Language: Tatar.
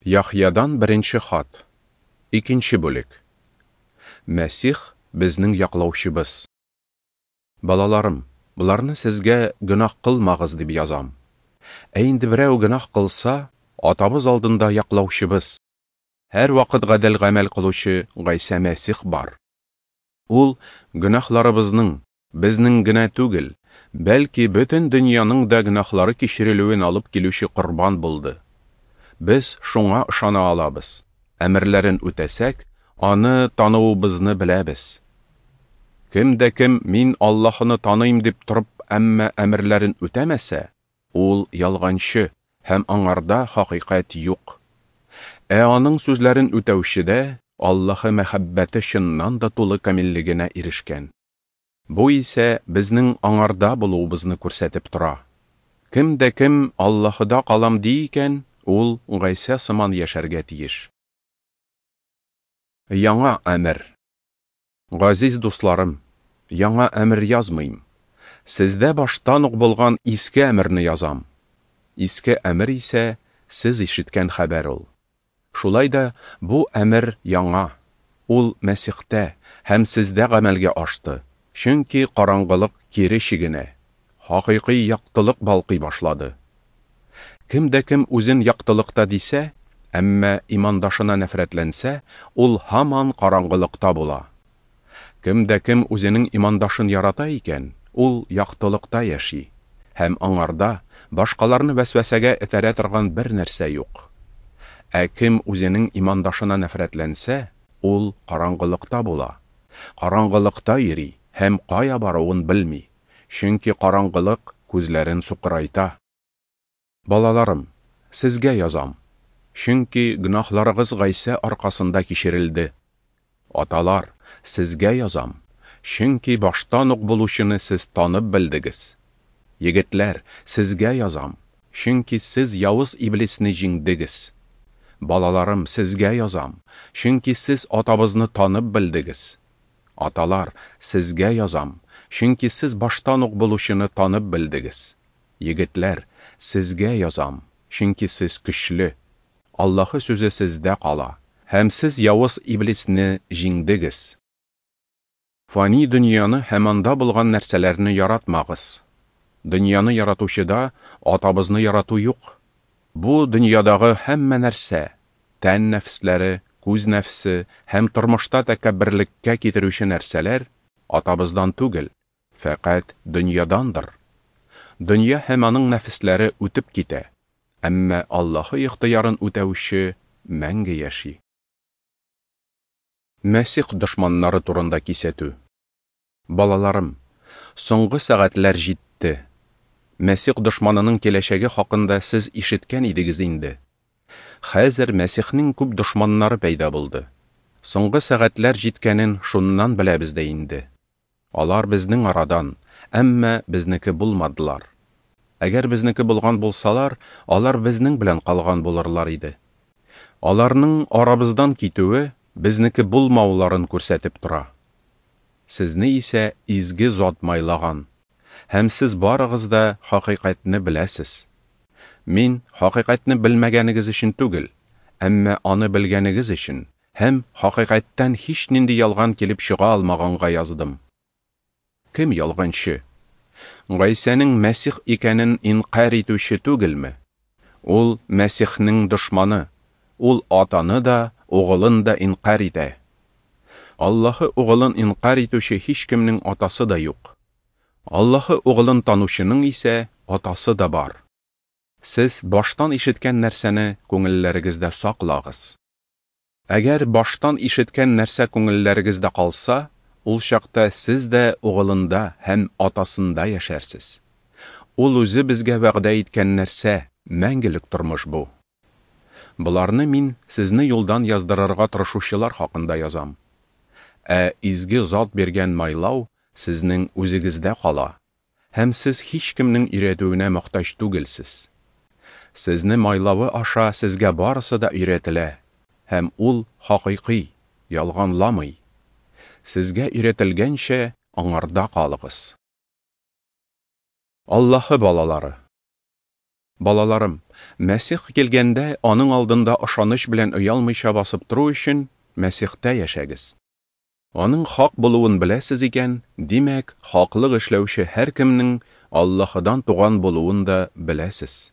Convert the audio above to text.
Яхъядан беренче хат. Икенче бүлек. Мәсих безнең яклаучыбыз. Балаларым, боларны сезгә гөнаһ кылмагыз дип язам. Ә инде берәү гөнаһ кылса, Атабыз алдында яклаучыбыз, һәрвакыт гадел гамәл кылучы Гайсә Мәсих бар. Ул гөнаһларыбызның, безнең генә түгел, бәлки бөтен дөньяның да гөнаһлары кичерелүен алып килүче корбан булды. Без шуңа ышана алабыз. Әмерләрен үтәсәк, аны тануыбызны беләбез. Кем дә кем мин Аллаһыны таныйм дип торып, әмма әмерләрен үтәмәсә, ул ялганчы һәм аңарда хакыйкать юк. Ә аның сүзләрен үтәүчедә Аллаһы мәхәббәте чыннан да тулы камиллегенә ирешкән. Бу исә безнең аңарда булуыбызны күрсәтеп тора. Кем дә кем Аллаһыда калам ди икән, ул Гайсә сыман яшәргә тиеш. Яңа әмер. Газиз дусларым, яңа әмер язмыйм. Сездә баштан ук булган иске әмерне язам. Иске әмер исә сез ишеткән хәбәр ул. Шулай да бу әмер яңа. Ул Мәсихтә һәм сездә гамәлгә ашты, чөнки караңгылык кире чигенә, хакыйкый яктылык балкый башлады. Кем дә кем үзен яктылыкта дисә, әмма имандашына нәфрәтләнсә, ул һаман караңгылыкта була. Кем дә кем үзенең имандашын ярата икән, ул яктылыкта яши, һәм аңарда башкаларны вәсвәсәгә этәрә торган бер нәрсә юк. Ә кем үзенең имандашына нәфрәтләнсә, ул караңгылыкта була. Караңгылыкта йөри һәм кая баруын белми, чөнки караңгылык күзләрен сукырайта. Балаларым, сезгә язам, чөнки гөнаһларыгыз Гайсә аркасында кичерелде. Аталар, сезгә язам, чөнки баштан ук булучыны сез танып белдегез. Егетләр, сезгә язам, чөнки сез явыз иблисне җиңдегез. Балаларым, сезгә язам, чөнки сез Атабызны танып белдегез. Аталар, сезгә язам, чөнки сез баштан ук булучыны танып белдегез. Егетләр, сезгә язам, чөнки сез көчле. Аллаһы сүзе сездә кала, һәм сез явыз иблисне җиңдегез. Фани дөньяны һәм анда булган нәрсәләрне яратмагыз. Дөньяны яратучыда Атабызны ярату юк. Бу дөньядагы һәммә нәрсә, тән нәфесләре, күз нәфсе һәм тормышта тәкәбберлеккә китерүче нәрсәләр Атабыздан түгел, фәкать дөньядандыр. Дөнья һәм аның нәфесләре үтеп китә, әмма Аллаһы ихтыярын үтәүче мәңге яши. Мәсих дошманнары турында кисәтү. Балаларым, соңгы сәгатьләр җитте. Мәсих дошманының киләчәге хакында сез ишеткән идегез инде. Хәзер Мәсихнең күп дошманнары пәйда булды. Соңгы сәгатьләр җиткәнен шуннан беләбез дә инде. Алар безнең арадан, әмма безнеке булмадылар. Әгәр безнеке булган булсалар, алар безнең белән калган булырлар иде. Аларның арабыздан китүе безнеке булмауларын күрсәтеп тора. Сезне исә изге зат майлаган, һәм сез барыгыз да хакыйкатьне беләсез. Мин хакыйкатьне белмәгәнегез өчен түгел, әмма аны белгәнегез өчен һәм хакыйкатьтән һичнинди ялган килеп чыга алмаганга яздым. Кем ялганчы? Гайсәнең Мәсих икәнен инкарь итүче түгелме? Ул Мәсихнең дошманы. Ул Атаны да, Угылын да инкарь итә. Аллаһы Угылын инкарь итүче һичкемнең атасы да юк. Аллаһы Угылын танучының исә атасы да бар. Сез баштан ишеткән нәрсәне күңелләрегездә саклагыз. Әгәр баштан ишеткән нәрсә күңелләрегездә калса, ул чакта сез дә Угылында һәм Атасында яшәрсез. Ул үзе безгә вәгъдә иткән нәрсә, мәңгелек тормыш бу. Боларны мин сезне юлдан яздырырга тырышучылар хакында язам. Ә изге зат биргән майлау сезнең үзегездә кала, һәм сез һичкемнең өйрәтүенә мохтаҗ түгелсез. Сезне майлавы аша сезгә барысы да өйрәтелә, һәм ул хакыйкый, ялганламый. Сезгә өйрәтелгәнчә, аңарда калыгыз. Аллаһы балалары. Балаларым, Мәсих килгәндә, аның алдында ышаныч белән оялмыйча басып тору өчен, Мәсихтә яшәгез. Аның хак булуын беләсез икән, димәк, хаклык эшләүче һәркемнең Аллаһыдан туган булуын да беләсез.